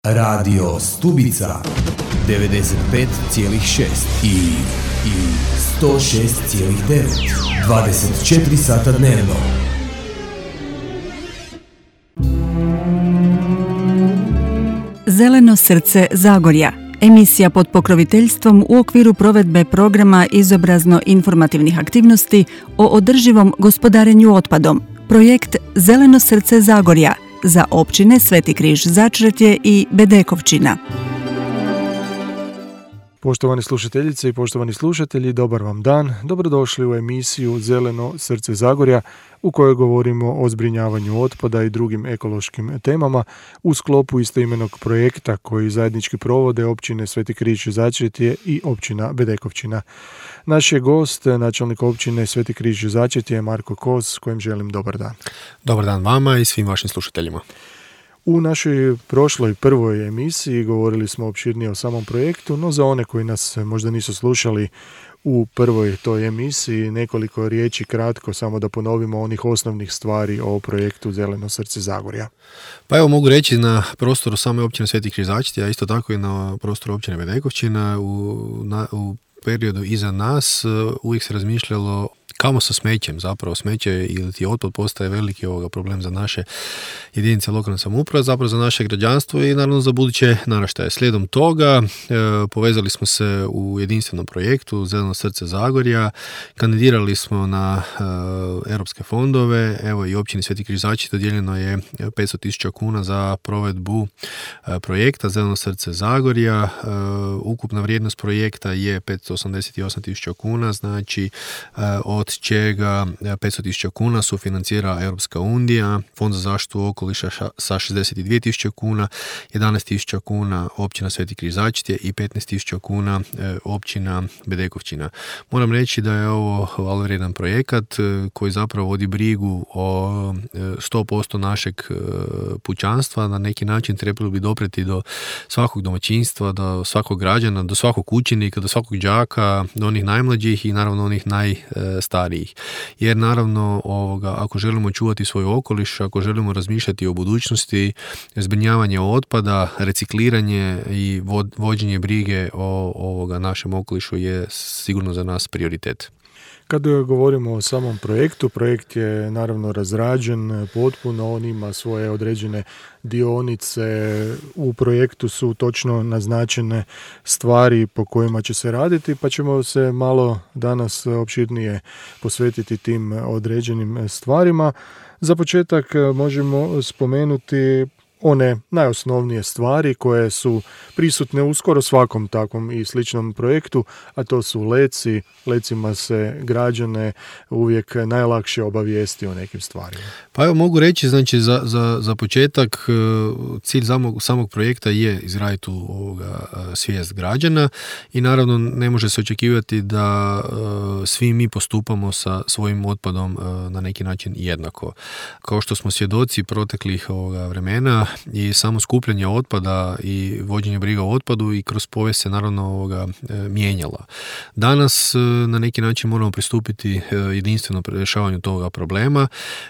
Radio Stubica 95,6 i 106,9 24 sata dnevno. Zeleno srce Zagorja. Emisija pod pokroviteljstvom u okviru provedbe programa izobrazno-informativnih aktivnosti o održivom gospodarenju otpadom. Projekt Zeleno srce Zagorja za općine Sveti Križ Začretje i Bedekovčina. Poštovani slušateljice i poštovani slušatelji, dobar vam dan. Dobrodošli u emisiju Zeleno srce Zagorja u kojoj govorimo o zbrinjavanju otpada i drugim ekološkim temama u sklopu istoimenog projekta koji zajednički provode općine Sveti Križ Začretje i općina Bedekovčina. Naš je gost, načelnik općine Sveti Križ Začretje, Marko Kos, kojem želim dobar dan. Dobar dan vama i svim vašim slušateljima. U našoj prošloj prvoj emisiji govorili smo opširnije o samom projektu, no za one koji nas možda nisu slušali u prvoj toj emisiji, nekoliko riječi kratko, samo da ponovimo onih osnovnih stvari o projektu Zeleno srce Zagorja. Pa evo mogu reći na prostoru same općine Sveti Križ Začretje, a isto tako i na prostoru općine Bedekovčina u periodu iza nas uvijek se razmišljalo kamo sa smećem, zapravo smeće ili ti otpad postaje veliki problem za naše jedinice lokalne samouprave, zapravo za naše građanstvo i naravno za buduće naraštaje. Slijedom toga povezali smo se u jedinstvenom projektu Zeleno srce Zagorja, kandidirali smo na europske fondove, evo i općini Sveti Križ Začretje dodijeljeno je 500.000 kuna za provedbu projekta Zeleno srce Zagorja. Ukupna vrijednost projekta je 588.000 kuna, znači od čega 500.000 kuna sufinancira Europska unija, Fond za zaštitu okoliša sa 62.000 kuna, 11.000 kuna općina Sveti Križ Začretje i 15.000 kuna općina Bedekovčina. Moram reći da je ovo hvalevrijedan projekat koji zapravo vodi brigu o 100% našeg pučanstva. Na neki način trebalo bi dopreti do svakog domaćinstva, do svakog građana, do svakog učenika, do svakog đaka, do onih najmlađih i naravno onih najstarijih. Jer naravno ako želimo čuvati svoj okoliš, ako želimo razmišljati o budućnosti, zbrinjavanje otpada, recikliranje i vođenje brige o našem okolišu je sigurno za nas prioritet. Kad govorimo o samom projektu, projekt je naravno razrađen potpuno, on ima svoje određene dionice, u projektu su točno naznačene stvari po kojima će se raditi, pa ćemo se malo danas opširnije posvetiti tim određenim stvarima. Za početak možemo spomenuti one najosnovnije stvari koje su prisutne u skoro svakom takvom i sličnom projektu, a to su leci. Lecima se građane uvijek najlakše obavijesti o nekim stvarima. Pa evo mogu reći, znači za početak cilj samog projekta je izraditi svijest građana i naravno ne može se očekivati da svi mi postupamo sa svojim otpadom na neki način jednako. Kao što smo svjedoci proteklih vremena i samo skupljanje otpada i vođenje briga o otpadu i kroz povijest se naravno mijenjala. Danas na neki način moramo pristupiti jedinstveno rješavanju toga problema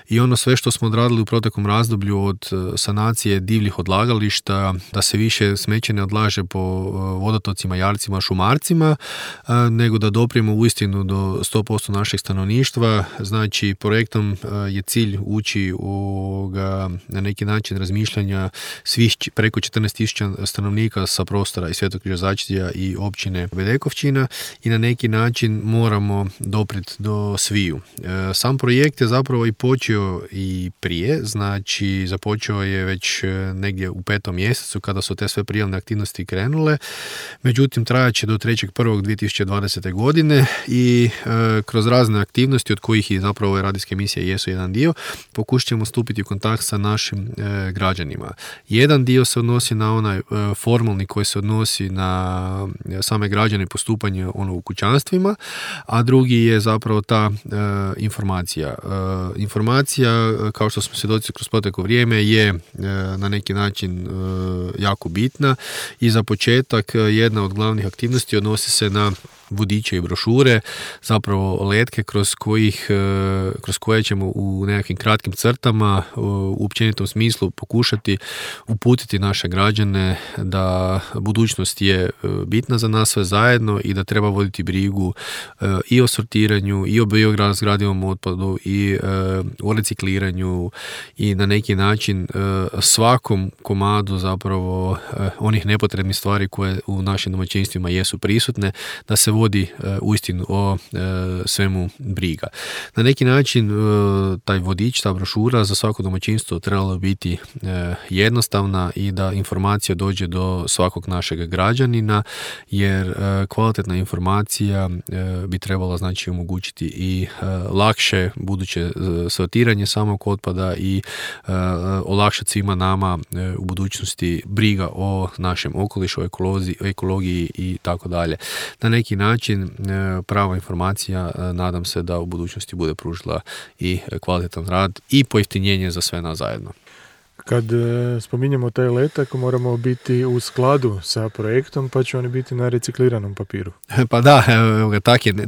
i ono sve što smo odradili u proteklom razdoblju od sanacije divljih odlagališta, da se više smeće ne odlaže po vodotocima, jarcima, šumarcima, nego da doprijemo uistinu do 100% našeg stanovništva. Znači projektom je cilj ući na neki način razmišljanja svih preko 14.000 stanovnika sa prostora i Svetog Križa Začretje i općine Bedekovčina i na neki način moramo doprijeti do sviju. Sam projekt je zapravo i počeo i prije, znači započeo je već negdje u 5. mjesecu kada su te sve prijavne aktivnosti krenule, međutim trajat će do 3.1.2020. godine i kroz razne aktivnosti od kojih i zapravo ove radijske emisije jesu jedan dio, pokušat ćemo stupiti u kontakt sa našim građanima. Jedan dio se odnosi na onaj formalni koji se odnosi na same građane i postupanje u kućanstvima, a drugi je zapravo ta informacija. Informacija, kao što smo svjedoci kroz proteklo vrijeme, je na neki način jako bitna i za početak jedna od glavnih aktivnosti odnosi se na vodiče i brošure, zapravo letke kroz koje ćemo u nekakvim kratkim crtama u općenitom smislu pokušati uputiti naše građane da budućnost je bitna za nas sve zajedno i da treba voditi brigu i o sortiranju, i o biorazgradivom otpadu, i o recikliranju, i na neki način svakom komadu zapravo onih nepotrebnih stvari koje u našim domaćinstvima jesu prisutne, da se vodi uistinu o svemu briga. Na neki način taj vodič, ta brošura za svako domaćinstvo trebalo biti jednostavna i da informacija dođe do svakog našeg građanina, jer kvalitetna informacija bi trebala znači omogućiti i lakše buduće sortiranje samog otpada i olakšati svima nama u budućnosti briga o našem okolišu, ekologiji i tako dalje. Na neki način prava informacija nadam se da u budućnosti bude pružila i kvalitetan rad i pojeftinjenje za sve nas zajedno. Kad spominjemo taj letak, moramo biti u skladu sa projektom, pa će oni biti na recikliranom papiru. Pa da,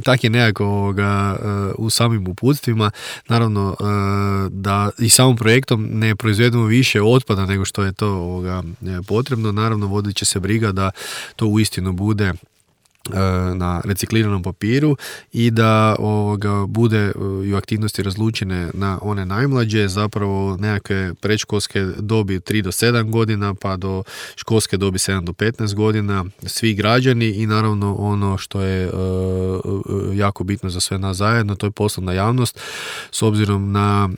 tak je nekako u samim uputstvima. Naravno da i samim projektom ne proizvedemo više otpada nego što je to potrebno. Naravno vodit će se briga da to uistinu bude na recikliranom papiru i da bude i aktivnosti razlučene na one najmlađe, zapravo nekakve predškolske dobi 3 do 7 godina pa do školske dobi 7 do 15 godina, svi građani i naravno ono što je jako bitno za sve nas zajedno, to je poslovna javnost s obzirom na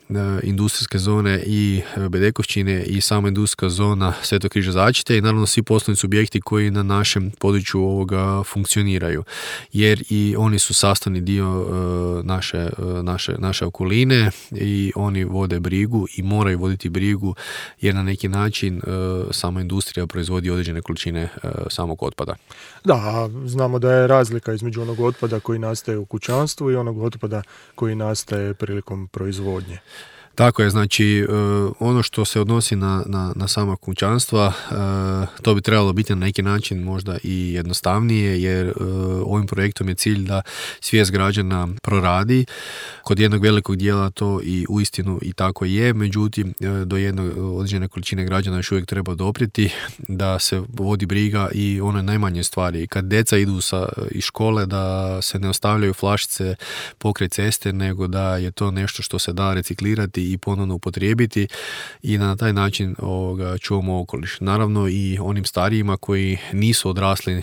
industrijske zone i Bedekovčine i sama industrijska zona Svetog križa Začite i naravno svi poslovni subjekti koji na našem području funkcioniraju, jer i oni su sastavni dio naše okoline i oni vode brigu i moraju voditi brigu jer na neki način sama industrija proizvodi određene količine samog otpada. Da, znamo da je razlika između onog otpada koji nastaje u kućanstvu i onog otpada koji nastaje prilikom proizvodnje. Tako je, znači ono što se odnosi na sama kućanstva, to bi trebalo biti na neki način možda i jednostavnije, jer ovim projektom je cilj da svijest građana proradi. Kod jednog velikog dijela to i uistinu i tako je, međutim do jedne određene količine građana još uvijek treba doprijeti da se vodi briga i one najmanje stvari. Kad djeca idu iz škole da se ne ostavljaju flašice pokraj ceste, nego da je to nešto što se da reciklirati i ponovno upotrijebiti i na taj način čuvamo okoliš. Naravno i onim starijima koji nisu odrasli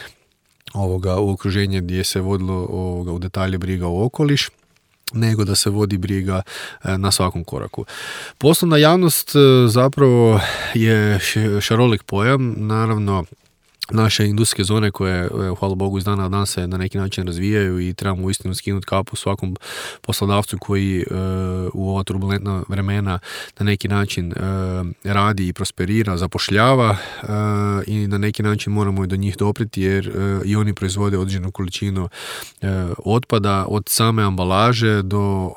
u okruženje gdje se vodilo u detalje briga o okoliš, nego da se vodi briga na svakom koraku. Poslovna javnost zapravo je šarolik pojam, naravno naše industrijske zone koje, hvala Bogu, iz dana u dan se na neki način razvijaju i trebamo uistinu skinuti kapu svakom poslodavcu koji u ova turbulentna vremena na neki način radi i prosperira, zapošljava i na neki način moramo i do njih dopriti jer i oni proizvode određenu količinu otpada od same ambalaže do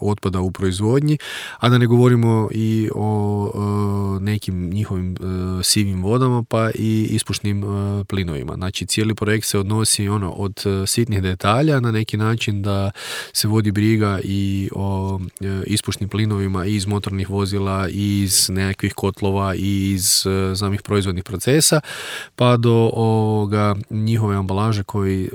otpada u proizvodnji, a da ne govorimo i o nekim njihovim sivim vodama pa i ispušnim plinovima. Znači cijeli projekt se odnosi od sitnih detalja na neki način da se vodi briga i o ispušnim plinovima i iz motornih vozila i iz nekakvih kotlova i iz samih proizvodnih procesa pa do njihove ambalaže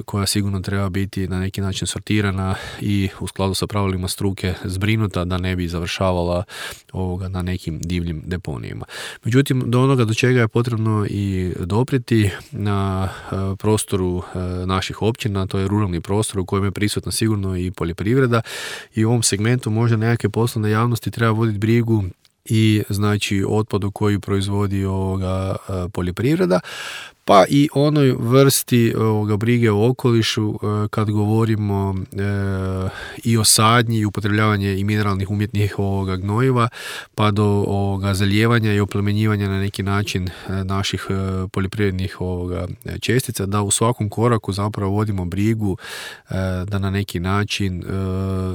koja sigurno treba biti na neki način sortirana i u skladu sa pravilima struke zbrinuta da ne bi završavala na nekim divljim deponijima. Međutim, do onoga do čega je potrebno i dopriti na prostoru naših općina, to je ruralni prostor u kojem je prisutna sigurno i poljoprivreda i u ovom segmentu možda nekakve poslovne javnosti treba voditi brigu i znači otpadu koji proizvodi poljoprivreda, pa i onoj vrsti brige o okolišu kad govorimo i o sadnji i upotrebljavanje i mineralnih umjetnih gnojiva pa do zalijevanja i oplemenjivanja na neki način naših poljoprivrednih čestica, da u svakom koraku zapravo vodimo brigu da na neki način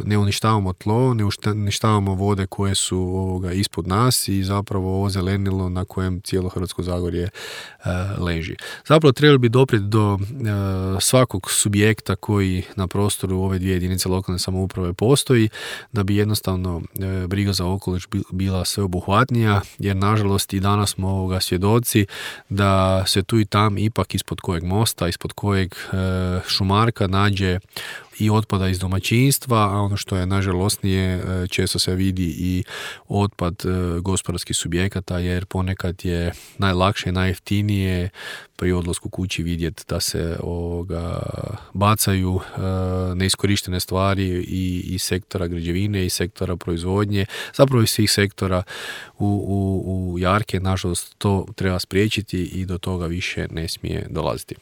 ne uništavamo tlo, ne uništavamo vode koje su ispod ispod nas i zapravo ovo zelenilo na kojem cijelo Hrvatsko Zagorje leži. Zapravo trebali bi doprijeti do svakog subjekta koji na prostoru ove dvije jedinice lokalne samouprave postoji, da bi jednostavno briga za okoliš bila sveobuhvatnija, jer nažalost i danas smo ovoga svjedoci da se tu i tam ipak ispod kojeg mosta, ispod kojeg šumarka nađe i otpada iz domaćinstva, a ono što je nažalosnije, često se vidi i otpad gospodarskih subjekata, jer ponekad je najlakše i najjeftinije pri odlasku kući vidjeti da se bacaju neiskorištene stvari i sektora građevine i sektora proizvodnje, zapravo i svih sektora u jarke. Nažalost, to treba spriječiti i do toga više ne smije dolaziti.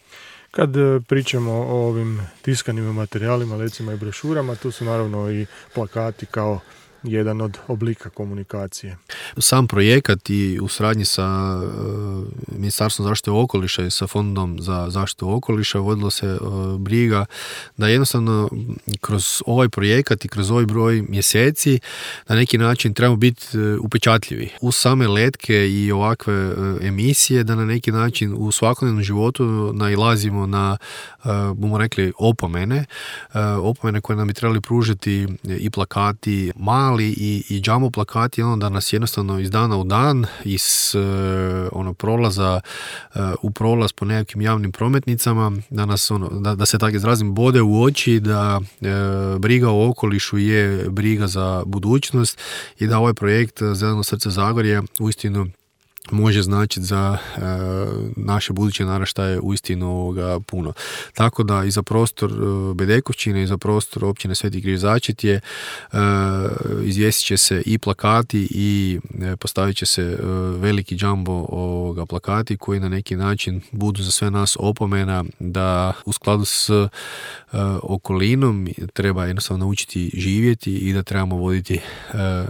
Kad pričamo o ovim tiskanim materijalima, recimo i brošurama, tu su naravno i plakati kao jedan od oblika komunikacije. Sam projekat i u suradnji sa Ministarstvom zaštite okoliša i sa Fondom za zaštitu okoliša vodilo se briga da jednostavno kroz ovaj projekat i kroz ovaj broj mjeseci na neki način trebamo biti upečatljivi. Uz same letke i ovakve emisije da na neki način u svakodnevnom životu nailazimo na, bomo rekli, opomene koje nam bi trebali pružiti i plakati mali i džambo plakati, da nas jednostavno iz dana u dan, iz prolaza u prolaz po nekakvim javnim prometnicama, da nas da se tako izrazim bode u oči, da briga o okolišu je briga za budućnost i da ovaj projekt Zeleno srce Zagorja uistinu može značiti za naše buduće naraštaje uistinu puno. Tako da i za prostor Bedekovčine i za prostor općine Sveti Križ Začetje izvjestit će se i plakati i postavit će se veliki džambo plakati koji na neki način budu za sve nas opomena da u skladu s okolinom treba jednostavno naučiti živjeti i da trebamo voditi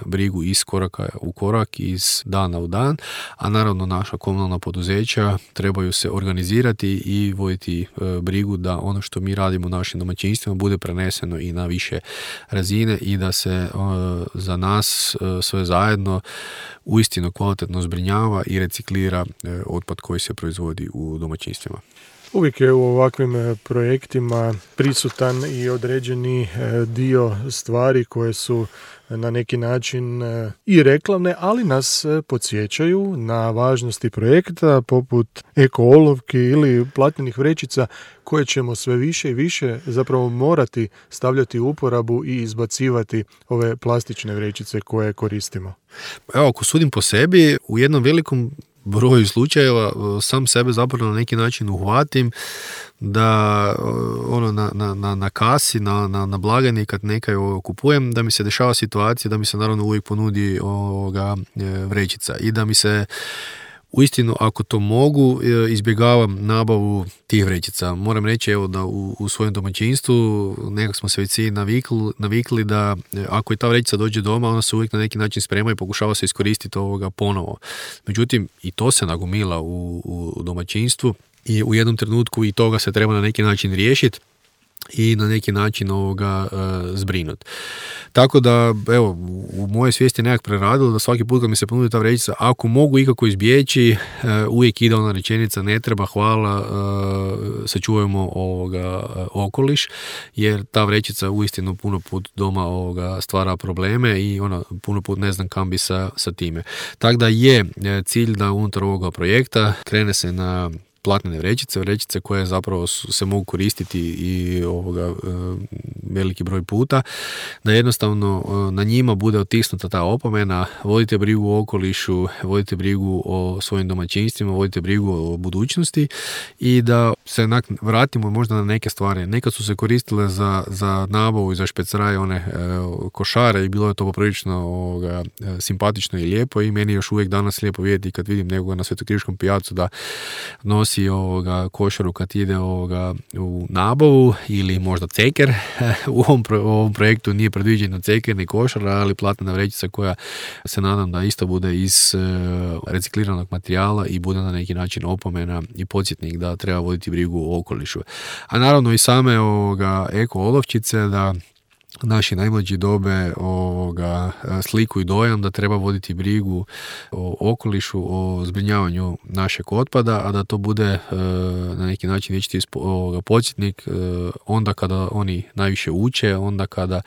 brigu iz koraka u korak, iz dana u dan, a naravno naša komunalna poduzeća trebaju se organizirati i voditi brigu da ono što mi radimo u našim domaćinstvima bude preneseno i na više razine i da se za nas sve zajedno uistinu kvalitetno zbrinjava i reciklira otpad koji se proizvodi u domaćinstvima. Uvijek je u ovakvim projektima prisutan i određeni dio stvari koje su na neki način i reklamne, ali nas podsjećaju na važnosti projekta poput eko-olovki ili platnenih vrećica koje ćemo sve više i više zapravo morati stavljati u uporabu i izbacivati ove plastične vrećice koje koristimo. Evo, ako sudim po sebi, u jednom velikom broju slučajeva sam sebe zapravo na neki način uhvatim da na kasi, na blagajni kad nekaj kupujem, da mi se dešava situacija da mi se naravno uvijek ponudi vrećica i da mi se uistinu, ako to mogu, izbjegavam nabavu tih vrećica. Moram reći da u svojem domaćinstvu nekako smo se već svi navikli da ako i ta vrećica dođe doma, ona se uvijek na neki način sprema i pokušava se iskoristiti ponovo. Međutim, i to se nagomila u domaćinstvu i u jednom trenutku i toga se treba na neki način riješiti i na neki način zbrinut. Tako da, evo, u moje svijesti je nekak preradilo da svaki put kad mi se ponudi ta vrećica, ako mogu ikako izbjeći, uvijek ide ona rečenica ne treba, hvala, sačuvajmo okoliš, jer ta vrećica uistinu puno put doma stvara probleme i ona puno put ne znam kam bi sa time. Tako da je cilj da unutar ovoga projekta krene se na platnene vrećice koje zapravo se mogu koristiti i veliki broj puta, da jednostavno na njima bude otisnuta ta opomena, vodite brigu o okolišu, vodite brigu o svojim domaćinstvima, vodite brigu o budućnosti i da se vratimo možda na neke stvari. Nekad su se koristile za nabavu i za špeceraj one košare i bilo je to poprilično simpatično i lijepo i meni još uvijek danas lijepo vidjeti kad vidim nekoga na Svetokriškom pijacu da nosi košaru kad ide u nabavu ili možda ceker. U ovom projektu nije predviđeno ceker ni košara, ali platna vrećica koja se nadam da isto bude iz recikliranog materijala i bude na neki način opomena i podsjetnik da treba voditi brigu o okolišu. A naravno i same eko olovčice da naši najmlađi dobe sliku i dojam da treba voditi brigu o okolišu, o zbrinjavanju našeg otpada, a da to bude na neki način vječiti podsjetnik onda kada oni najviše uče, onda kada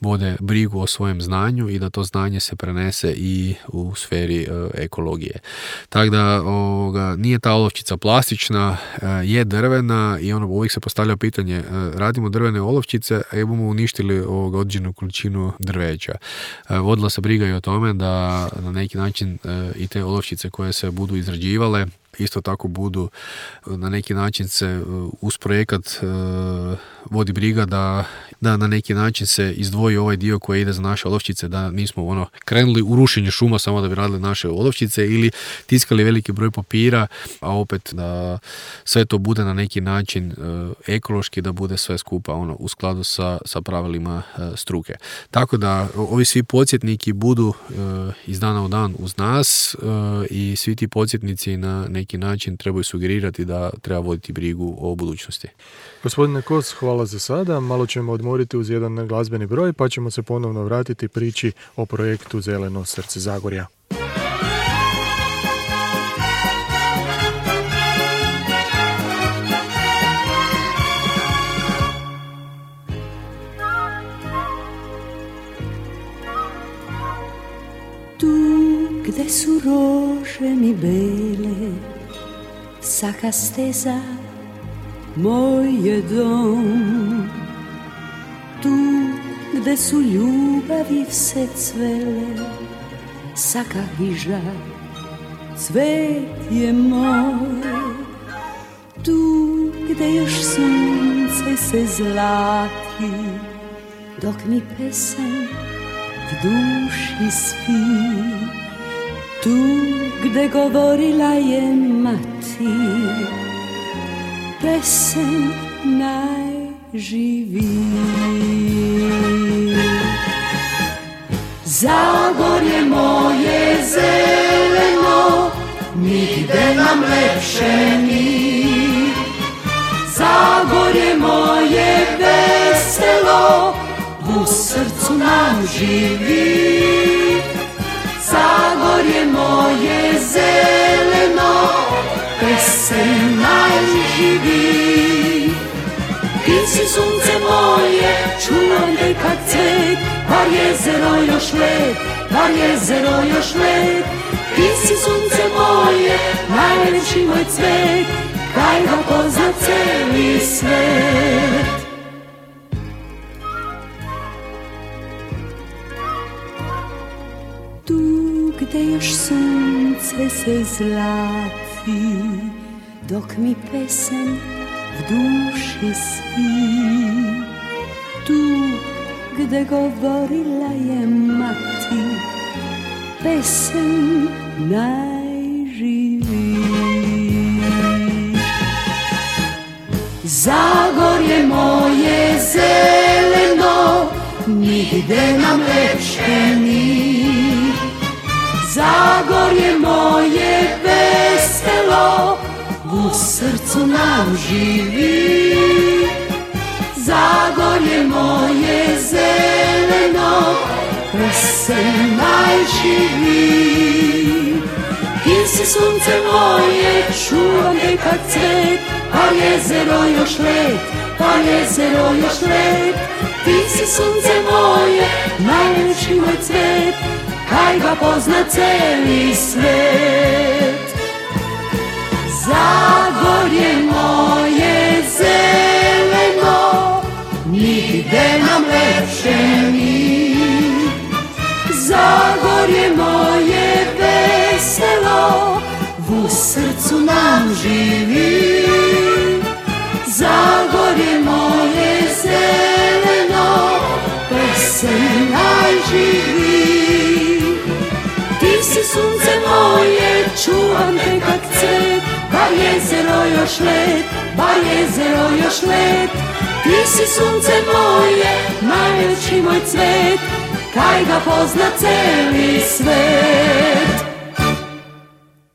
vode brigu o svojem znanju i da to znanje se prenese i u sferi ekologije. Tako da nije ta olovčica plastična, je drvena i uvijek se postavlja pitanje, radimo drvene olovčice, a bomo uništili određenu količinu drveća. Vodila se briga i o tome da na neki način i te olovčice koje se budu izrađivale isto tako budu na neki način se uz projekat vodi briga da na neki način se izdvoji ovaj dio koji ide za naše olovčice, da nismo krenuli u rušenje šuma samo da bi radili naše olovčice ili tiskali veliki broj papira, a opet da sve to bude na neki način ekološki, da bude sve skupa u skladu sa pravilima struke. Tako da ovi svi podsjetniki budu iz dana u dan uz nas i svi ti podsjetnici na neki način trebaju sugerirati da treba voditi brigu o budućnosti. Gospodine Kos, hvala za sada. Malo ćemo odmoriti uz jedan glazbeni broj, pa ćemo se ponovno vratiti priči o projektu Zeleno srce Zagorja. Tu gde su rože mi bele, saka steza moj je dom. Tu gde su ljubavi vse cvele, saka hiža cvet je moj. Tu gde još sunce se zlati, dok mi pesem v duši spi. Tu gde govorila je mati, pesem najživiji. Zagorje moje zeleno, nigde nam lepše ni. Zagorje moje veselo, u srcu nam živi. Zagorje moje zeleno, pesem najživi. Ti si sunce moje, čuvam te kak cvet, par jezero još led, par jezero još led. Ti si sunce moje, najlepši moj cvet, kaj ga pozna celi svet. Tu gde još sunce se zlati, dok mi pesem v duši spi. Tu gde govorila je mati, pesem najživi. Zagorje moje zeleno, nigde nam lepše ni. Zagorje moje veselo, u srcu nam živi. Zagorje moje zeleno, pesem najživi. Ti si sunce moje, čuvam te kak cvet, par jezero još led, par jezero još led. Ti si sunce moje, najlepši moj cvet, kaj ga pozna celi svet. Zagorje moje zeleno, nigde nam lepše ni. Zagorje moje veselo, u srcu nam živi. Zagorje moje zeleno, pesem najživi. Ti si sunce moje, čuvam te kak cvet, bar jezero još led, bar jezero još led. Ti si sunce moje, najlepši moj cvet, kaj ga pozna celi svet.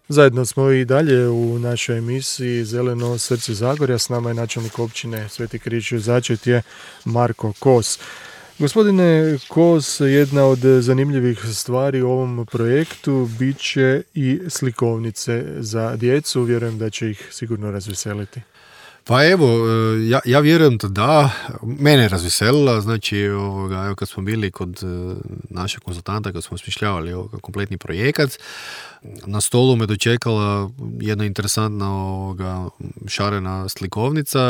Zajedno smo i dalje u našoj emisiji Zeleno srce Zagorja. S nama je načelnik općine Sveti Križ Začetje Marko Kos. Gospodine Kos, jedna od zanimljivih stvari u ovom projektu bit će i slikovnice za djecu. Vjerujem da će ih sigurno razveseliti. Pa evo, ja vjerujem da mene je razveselila, znači evo, kad smo bili kod našeg konzultanta, kad smo smišljavali kompletni projekat, na stolu me dočekala jedna interesantna šarena slikovnica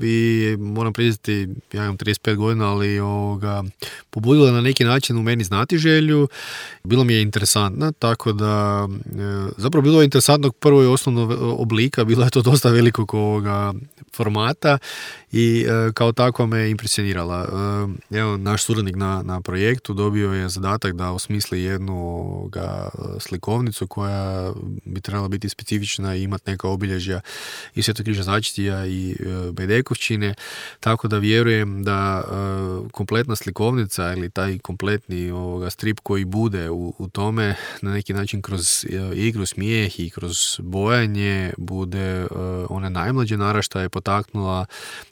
i moram priznati, ja imam 35 godina, ali pobudila na neki način u meni znatiželju. Bilo mi je interesantna, tako da zapravo bilo je interesantnog prvo i osnovnog oblika, bilo je to dosta velikog formata i kao takva me impresionirala. Evo, naš suradnik na projektu dobio je zadatak da osmisli jednu slikovnicu koja bi trebala biti specifična i imati neka obilježja i Svetokriža Začetija i Bedekovčine, tako da vjerujem da kompletna slikovnica ili taj kompletni strip koji bude u tome na neki način kroz igru, smijeh i kroz bojanje bude one najmlađe naraštaje potaknula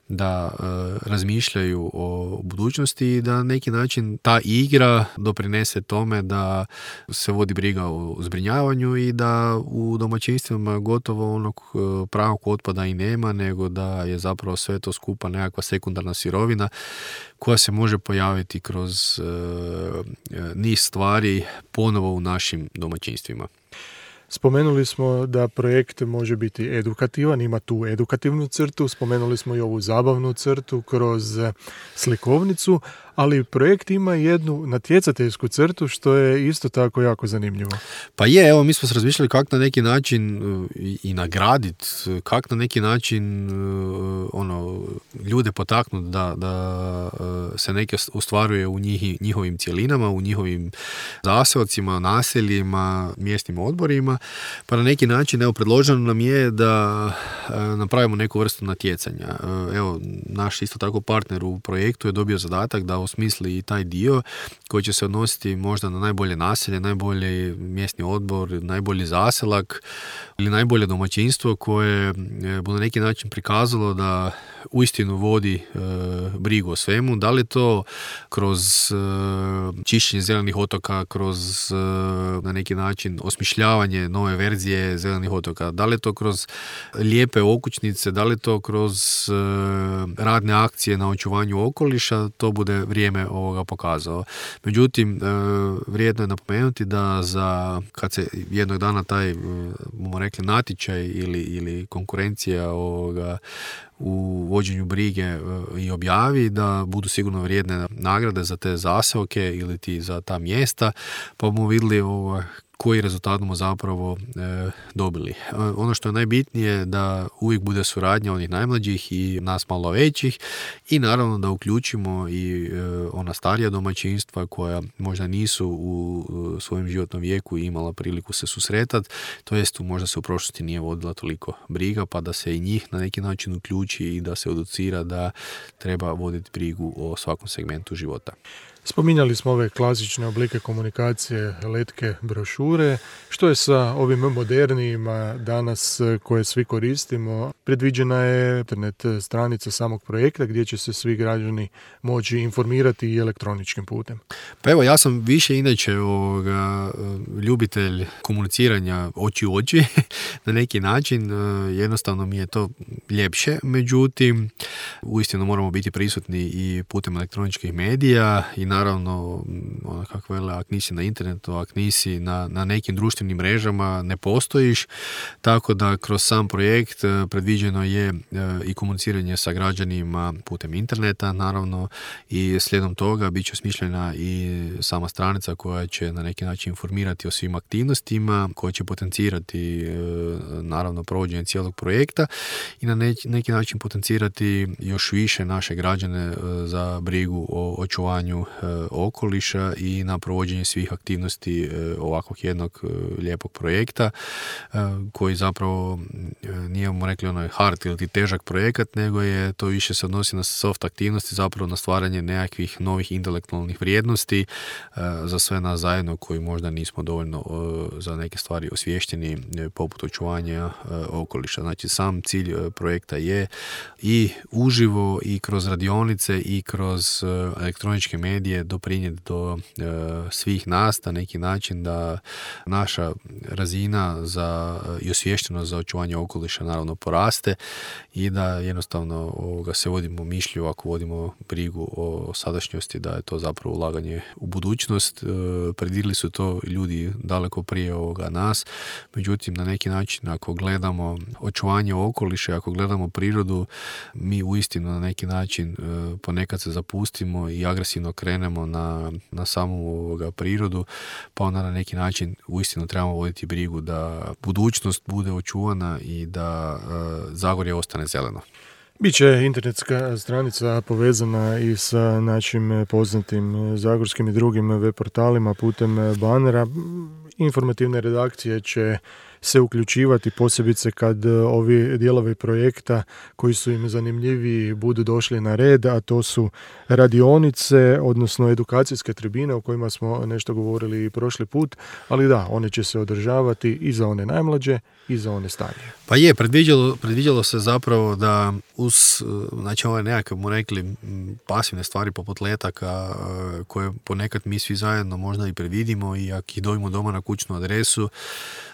da razmišljaju o budućnosti i da na neki način ta igra doprinese tome da se vodi briga o zbrinjavanju i da u domaćinstvima gotovo onog pravog otpada i nema, nego da je zapravo sve to skupa nekakva sekundarna sirovina koja se može pojaviti kroz niz stvari ponovo u našim domaćinstvima. Spomenuli smo da projekt može biti edukativan, ima tu edukativnu crtu, spomenuli smo i ovu zabavnu crtu kroz slikovnicu, ali projekt ima jednu natjecateljsku crtu što je isto tako jako zanimljivo. Pa je, evo mi smo se razmišljali kako na neki način i nagraditi, kako na neki način ljude potaknuti da se neke ostvaruje u njihovim cjelinama, u njihovim zaseocima, naseljima, mjesnim odborima. Pa na neki način, evo, predloženo nam je da napravimo neku vrstu natjecanja. Evo, naš isto tako partner u projektu je dobio zadatak da osmisli i taj dio koji će se odnositi možda na najbolje naselje, najbolji mjesni odbor, najbolji zaselak ili najbolje domaćinstvo koje bu na neki način prikazalo da uistinu vodi brigu o svemu. Da li to kroz čišćenje zelenih otoka, kroz na neki način osmišljavanje nove verzije zelenih otoka, da li to kroz lijepe okućnice, da li to kroz radne akcije na očuvanju okoliša, to bude vrijeme ovoga pokazao. Međutim, vrijedno je napomenuti da kad se jednog dana taj, bomo rekli, natječaj ili konkurencija u vođenju brige i objavi, da budu sigurno vrijedne nagrade za te zaseoke ili za ta mjesta, pa bomo vidjeli koji rezultat smo zapravo dobili. Ono što je najbitnije da uvijek bude suradnja onih najmlađih i nas malo većih i naravno da uključimo i ona starija domaćinstva koja možda nisu u svojem životnom vijeku imala priliku se susretati, to jest možda se u prošlosti nije vodila toliko briga, pa da se i njih na neki način uključi i da se educira da treba voditi brigu o svakom segmentu života. Spominjali smo ove klasične oblike komunikacije, letke, brošure. Što je sa ovim modernijima danas koje svi koristimo? Predviđena je internet stranica samog projekta gdje će se svi građani moći informirati i elektroničkim putem. Pa evo, ja sam više inače ljubitelj komuniciranja oči u oči na neki način. Jednostavno mi je to ljepše. Međutim, uistinu moramo biti prisutni i putem elektroničkih medija i naravno, kako vele, ak nisi na internetu, ak nisi na nekim društvenim mrežama, ne postojiš, tako da kroz sam projekt predviđeno je i komuniciranje sa građanima putem interneta, naravno, i slijedom toga bit će osmišljena i sama stranica koja će na neki način informirati o svim aktivnostima, koja će potencirati naravno provođenje cijelog projekta i na neki način potencirati još više naše građane za brigu o očuvanju okoliša i na provođenje svih aktivnosti ovakvog jednog lijepog projekta koji zapravo nijemo rekli onaj hard ili težak projekat, nego je to više se odnosi na soft aktivnosti, zapravo na stvaranje nekakvih novih intelektualnih vrijednosti za sve nas zajedno koji možda nismo dovoljno za neke stvari osviješteni, poput očuvanja okoliša. Znači sam cilj projekta je i uživo i kroz radionice i kroz elektroničke medije doprinijeti do svih nas na neki način da naša razina i osviještenost za očuvanje okoliša naravno poraste i da jednostavno se vodimo mišlju, ako vodimo brigu o sadašnjosti, da je to zapravo ulaganje u budućnost. Predvidjeli su to ljudi daleko prije nas, međutim na neki način ako gledamo očuvanje okoliša, ako gledamo prirodu, mi uistinu na neki način ponekad se zapustimo i agresivno krenemo na samu prirodu, pa onda na neki način uistinu trebamo voditi brigu da budućnost bude očuvana i da Zagorje ostane zeleno. Biće internetska stranica povezana i sa našim poznatim zagorskim i drugim web portalima putem banera. Informativne redakcije će se uključivati, posebice kad ovi dijelovi projekta koji su im zanimljiviji budu došli na red, a to su radionice, odnosno edukacijske tribine o kojima smo nešto govorili i prošli put, ali da, one će se održavati i za one najmlađe i za one starije. Pa je, predviđalo se zapravo da uz, znači ove nekakve, mu rekli, pasivne stvari poput letaka koje ponekad mi svi zajedno možda i predvidimo i ako ih dobimo doma na kućnu adresu,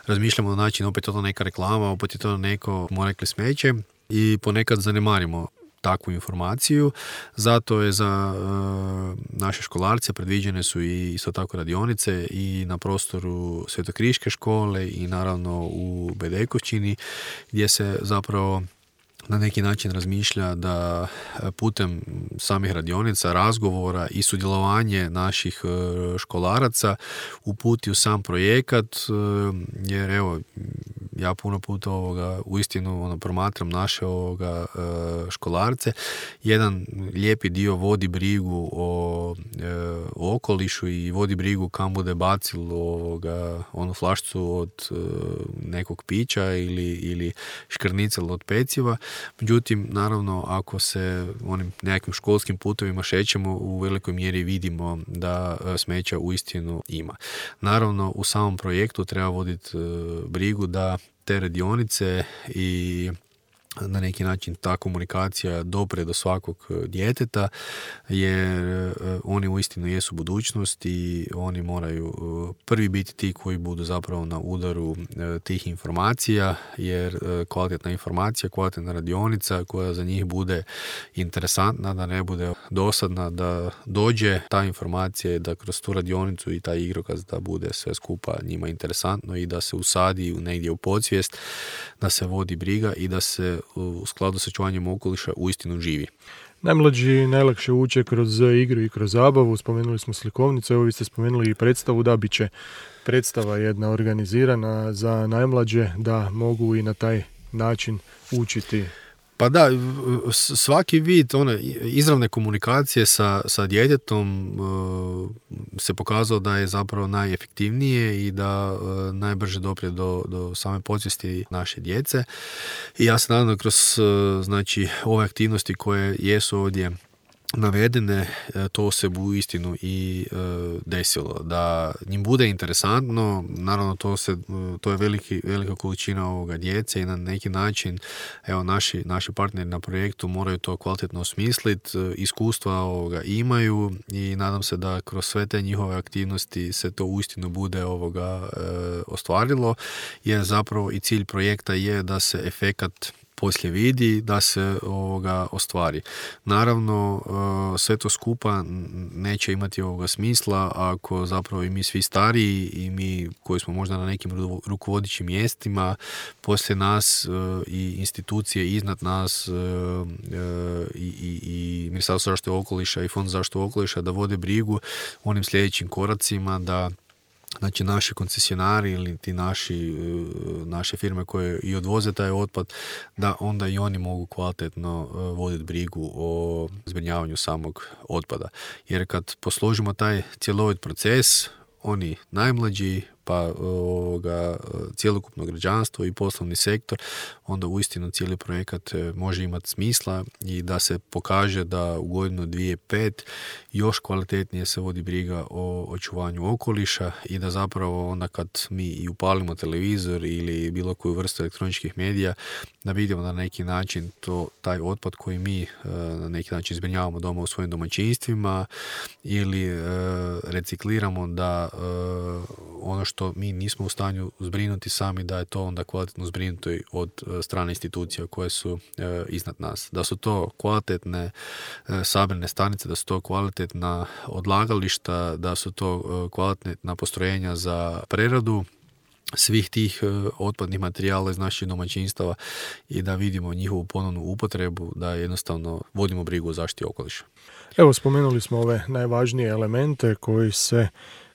razmišljamo na način, opet je to neka reklama, opet je to neko, mu rekli, smeće i ponekad zanemarimo takvu informaciju. Zato je za naše školarce predviđene su i isto tako radionice i na prostoru Svetokriške škole i naravno u Bedekovčini, gdje se zapravo na neki način razmišlja da putem samih radionica, razgovora i sudjelovanje naših školaraca uputi u sam projekat, jer evo, ja puno puta uistinu promatram naše školarce. Jedan lijepi dio vodi brigu o okolišu i vodi brigu kam bude bacil onu flašcu od nekog pića ili škrnicel od peciva. Međutim, naravno, ako se onim nekakvim školskim putovima šećemo, u velikoj mjeri vidimo da smeća uistinu ima. Naravno, u samom projektu treba voditi brigu da te radionice i na neki način ta komunikacija dopre do svakog djeteta, jer oni uistinu jesu budućnost i oni moraju prvi biti ti koji budu zapravo na udaru tih informacija, jer kvalitetna informacija, kvalitetna radionica koja za njih bude interesantna, da ne bude dosadna, da dođe ta informacija, da kroz tu radionicu i taj igrokaz da bude sve skupa njima interesantno i da se usadi negdje u podsvijest, da se vodi briga i da se u skladu sa čuvanjem okoliša uistinu živi. Najmlađi najlakše uče kroz igru i kroz zabavu. Spomenuli smo slikovnicu, evo vi ste spomenuli i predstavu, da bit će predstava jedna organizirana za najmlađe, da mogu i na taj način učiti. Pa da, svaki vid izravne komunikacije sa djetetom se pokazao da je zapravo najefektivnije i da najbrže doprije do same podsvijesti naše djece. I ja se nadam da kroz ove aktivnosti koje jesu ovdje navedene, to se bu uistinu i desilo. Da njim bude interesantno, naravno to je velika količina ovoga djece i na neki način evo naši partneri na projektu moraju to kvalitetno osmisliti, iskustva imaju i nadam se da kroz sve te njihove aktivnosti se to uistinu bude ostvarilo, jer zapravo i cilj projekta je da se efekat poslije vidi, da se ostvari. Naravno, sve to skupa neće imati smisla ako zapravo i mi svi stariji i mi koji smo možda na nekim rukovodećim mjestima poslije nas i institucije iznad nas i Ministarstvo zaštite okoliša i Fond za zaštitu okoliša da vode brigu onim sljedećim koracima, da znači naši koncesionari ili ti naše firme koje i odvoze taj otpad, da onda i oni mogu kvalitetno voditi brigu o zbrinjavanju samog otpada. Jer kad posložimo taj cjelovit proces, oni najmlađi pa cjelokupno građanstvo i poslovni sektor, onda uistinu cijeli projekat može imati smisla i da se pokaže da u godinu 2005 još kvalitetnije se vodi briga o očuvanju okoliša i da zapravo onda kad mi i upalimo televizor ili bilo koju vrstu elektroničkih medija, da vidimo da na neki način taj otpad koji mi na neki način zbrinjavamo doma u svojim domaćinstvima ili recikliramo, da ono što mi nismo u stanju zbrinuti sami, da je to onda kvalitetno zbrinuto od strane institucija koje su iznad nas. Da su to kvalitetne sabirne stanice, da su to kvalitetna odlagališta, da su to kvalitetna postrojenja za preradu svih tih otpadnih materijala iz naših domaćinstava i da vidimo njihovu ponovnu upotrebu, da jednostavno vodimo brigu o zaštiti okoliša. Evo, spomenuli smo ove najvažnije elemente koji se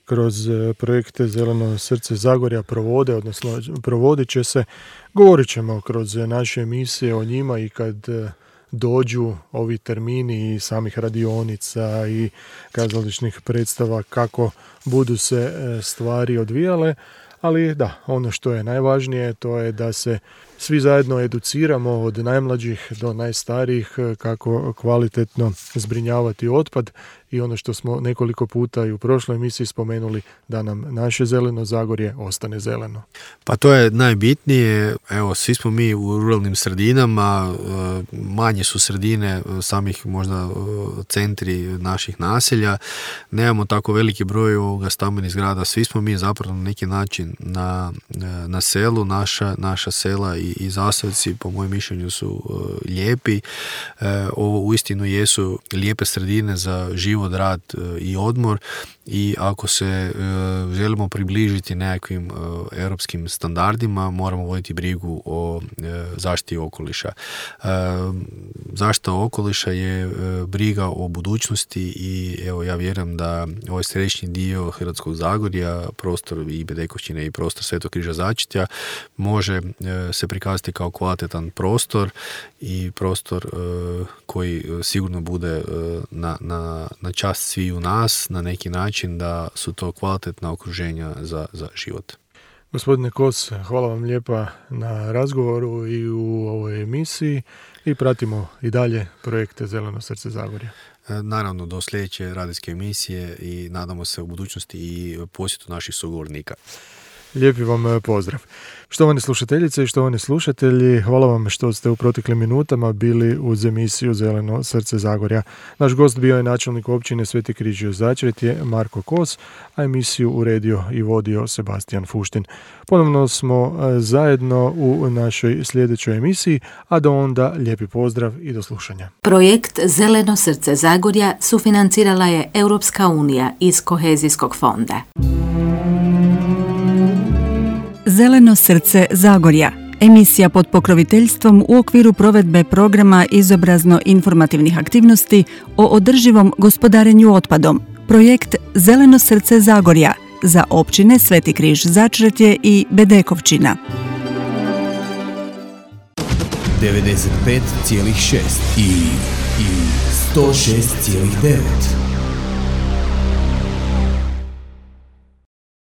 kroz projekte Zeleno srce Zagorja provode, odnosno provodit će se. Govorit ćemo kroz naše emisije o njima i kad dođu ovi termini i samih radionica i kazališnih predstava, kako budu se stvari odvijale. Ali da, ono što je najvažnije to je da se svi zajedno educiramo od najmlađih do najstarijih kako kvalitetno zbrinjavati otpad i ono što smo nekoliko puta i u prošloj emisiji spomenuli, da nam naše zeleno Zagorje ostane zeleno. Pa to je najbitnije. Evo, svi smo mi u ruralnim sredinama, manje su sredine samih možda centri naših naselja, nemamo tako veliki broj stambenih zgrada, svi smo mi zapravo na neki način na selu, naša sela i zaselci po mojem mišljenju su lijepi. Ovo uistinu jesu lijepe sredine za život, rad i odmor i ako se želimo približiti nekakvim europskim standardima, moramo voditi brigu o zaštiti okoliša. Zaštita okoliša je briga o budućnosti i evo, ja vjerujem da ovaj središnji dio Hrvatskog Zagorja, prostor i Bedekovčine i prostor Svetog Križa Začetja može se prikazati kao kvalitetan prostor i prostor koji sigurno bude na čast svi u nas, na neki način da su to kvalitetna okruženja za život. Gospodine Kos, hvala vam lijepa na razgovoru i u ovoj emisiji i pratimo i dalje projekte Zeleno srce Zagorja. Naravno, do sljedeće radijske emisije i nadamo se u budućnosti i posjetu naših sugovornika. Lijepi vam pozdrav. Štovane slušateljice i štovani slušatelji, hvala vam što ste u proteklim minutama bili uz emisiju Zeleno srce Zagorja. Naš gost bio je načelnik općine Sveti Križ Začretje Marko Kos, a emisiju uredio i vodio Sebastijan Fuštin. Ponovno smo zajedno u našoj sljedećoj emisiji, a do onda lijepi pozdrav i do slušanja. Projekt Zeleno srce Zagorja sufinancirala je Europska unija iz Kohezijskog fonda. Zeleno srce Zagorja, emisija pod pokroviteljstvom u okviru provedbe programa izobrazno-informativnih aktivnosti o održivom gospodarenju otpadom. Projekt Zeleno srce Zagorja za općine Sveti Križ Začretje i Bedekovčina. 95,6 i 106,9.